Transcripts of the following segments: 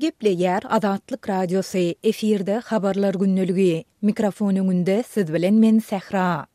Gepleýär Azatlyk Radiosy, efirde Habarlar gündeligi. Mikrofon öňünde siz bilen men Sähra.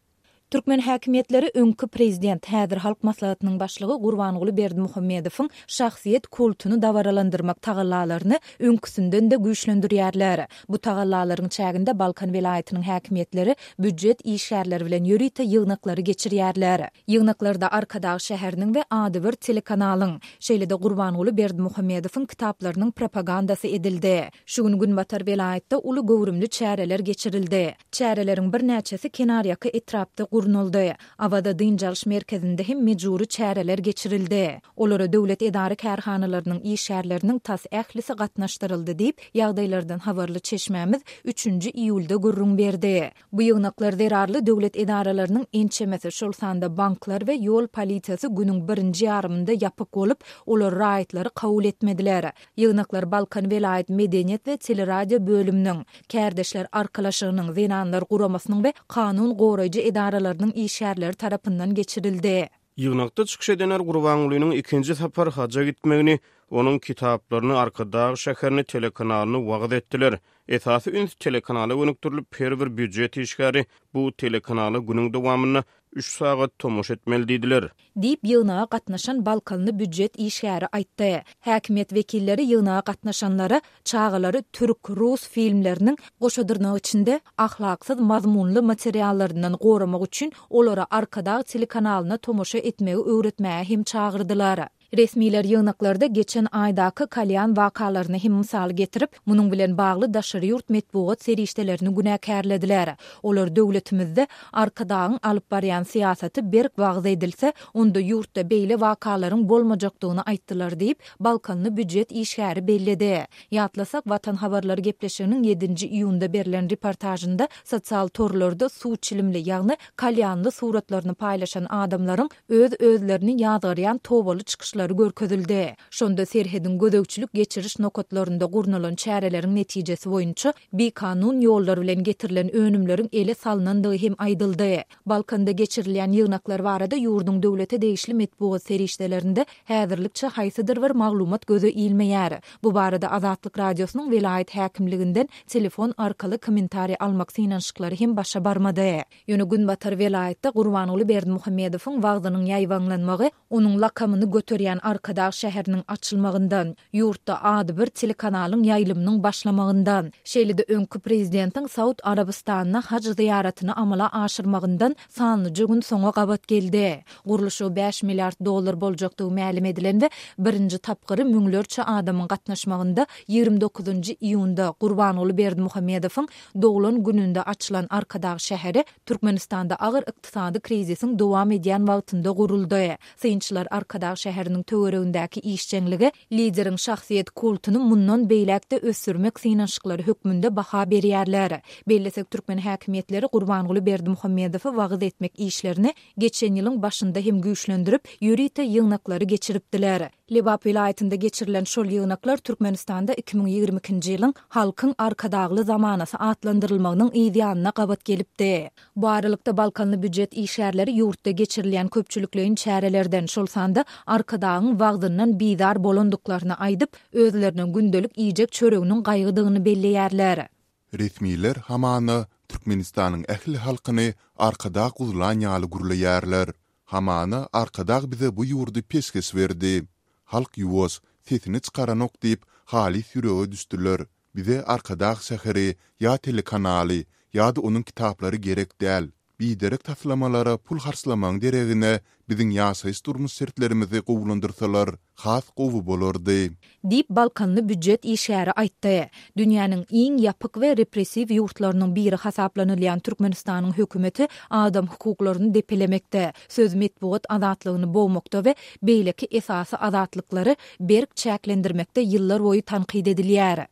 Türkmen häkimiýetleri öňki prezident, häzir Halk Maslahatynyň başlygy Gurbanguly Berdimuhamedowyň şahsyýet kultuny dabaralandyrmak tagallalaryny öňküsinden-de güýçlendirýärler. Bu tagallalaryň çäginde Balkan welaýatynyň häkimiýetleri býujet işgärleri bilen ýörite ýygnaklary geçirýärler. Ýygnaklarda Arkadag şäheriniň we adybir telekanalyň, şeýle-de Gurbanguly Berdimuhamedowyň kitaplarynyň propagandasy edildi. Şu gün günbatar welaýatda uly göwrümli çäreler geçirildi. Çäreleriň birnäçesi kenarýaka etrapda gurnaldy. Awaza dynç alyş merkezinde hem mejbury çäreler geçirildi. Olara döwlet edara-kärhanalarynyň işgärleriniň tas ählisi gatnaşdyryldy diýip, ýagdaýlardan habarly çeşmämiz üçünji iýulda gürrüň berdi. Bu ýygnaklar zerarly döwlet edaralarynyň ençemesi, şol sanda banklar we ýol polisiýasy günüň birinji ýarymynda ýapyk bolup, olar raýatlary kabul etmediler. Ýygnaklar Balkan welaýat medeniýet we teleradio bölüminiň, Kärdeşler arkalaşygynyň, Zenanlar guramasynyň we kanun goraýjy edaralarynyň işgärleri tarapyndan geçirildi. Ýygnakda çykyş edenler Gurbangulynyň ikinji sapar haja gitmegini, onuň kitaplaryny, Arkadag şäherini, telekanalyny wagyz etdiler. Esasy üns telekanala gönükdirilip, her bir býujet işgäri bu telekanala günüň dowamynda üç sagat tomaşa etmeli diýdiler. Diýip, ýygnaga gatnaşan balkanly býujet işgäri aýtdy. Häkimiýet wekilleri ýygnaga gatnaşanlara çagalary türk, rus filmleriniň, goşa dyrnak içinde, ahlaksyz mazmunly materiallaryndan goramak üçin olara Arkadag telekanalyna tomaşa etmegi öwretmäge hem çagyrdylar. Resmiler ýygnaklarda geçen aýdaky Kalýan wakalaryny hem mysal getirip, munuň bilen bagly daşary ýurt metbugat serişdelerini günäkärlediler. Olar döwletimizde Arkadagyň alyp barýan syýasaty berk wagyz edilse, onda ýurtda beýle wakalaryň bolmajakdygyny aýtdylar diýip, balkanly býujet işgäri belledi. Ýatlasak, Watan habarlary gepleşiginiň ýedinji iýunda berlen reportažynda sosial torlarda suw çilimli, ýagny kalýanly suratlaryny paýlaşan adamlaryň öz-özlerini ýazgarýan tobaly çykyşlary görkezildi. Şonda serhediň gözegçilik-geçiriş nokatlarynda gurnalan çäreleriň netijesi boýunça bikanun ýollar bilen getirilen önümleriň ele salnandygy hem aýdyldy. Balkanda geçirilýän ýygnaklar barada ýurduň döwlete degişli metbugat serişdelerinde häzirlikçe haýsydyr bir maglumat göze ilmeýär. Bu barada Azatlyk Radiosynyň welaýat häkimliginden telefon arkaly kommentariý almak synanyşyklary hem başa barmady. Ýöne günbatar welaýatda Gurbanguly Berdimuhamedowyň wagzynyň ýaýbaňlanmagy onuň lakamyny göterýän Arkadag şäheriniň açylmagyndan, ýurtda adybir telekanalyň ýaýlymynyň başlamagyndan, şeýle-de öňki prezidentiň Saud Arabystanyna haj zyýaratyny amala aşyrmagyndan sanlyja gün soňa gabat geldi. Gurluşygy bäş milliard dollar boljakdygy mälim edilen we birinji tapgyry müňlerçe adamyň gatnaşmagynda 29 iýunda Gurbanguly Berdimuhamedowyň Doglan gününde açylan Arkadag şäheri Türkmenistanda agyr ykdysady krizisiň dowam edýän wagtynda guruldy. Synçylar Arkadag şäheriniň töweregindäki işjeňlige lideriň şahsyýet kultuny mundan beýläk-de ösdürmek synanyşyklary hökmünde baha berýärler. Bellesek, türkmen häkimiýetleri Gurbanguly Berdimuhamedowy wagyz etmek işlerini geçen ýylyň başynda hem güýçlendirip, ýörite ýygnaklary geçiripdiler. Lebap welaýatynda geçirilen şol ýygnaklar Türkmenistanda 2022-nji ýylyň Halkyň Arkadagly zamanasy atlandyrylmagynyň yz ýanyna gabat gelipdi. Bu aralykda, balkanly býujet işgärleri ýurtda geçirilýän köpçülikleýin çärelerden, şol sanda Arkadagyň wagzyndan bizar bolandyklaryny aýdyp, özlerine gündelik iýjek çöreginiň gaýgydygyny belleýärler. Resmiler hamana Türkmenistanyň ähli halkyny Arkadag guzlan ýaly gürleýärler. Hamana Arkadag bize bu ýurdy peşgeş berdi. Halk ýuwaş, sesini çykaranok diýip halys ýürege düşdüler. Bize Arkadag şäheri ýa telekanaly ýa-da onuň kitaplary gerek däl. Biderek taslamalara pul harçlamagyň deregine biziň ýaşaýyş-durmuş şertlerimizi gowulandyrsalar has gowy bolardy. Diýip, balkanly býujet işgäri aýtdy. Dünýäniň iň ýapyk we repressiw ýurtlarynyň biri hasaplanylýan Türkmenistanyň hökümeti adam hukuklaryny depelemekde, söz-metbugat azatlygyny bogmakda we beýleki esasy azatlyklary berk çäklendirmekde ýyllarboýy tankyt edilýär.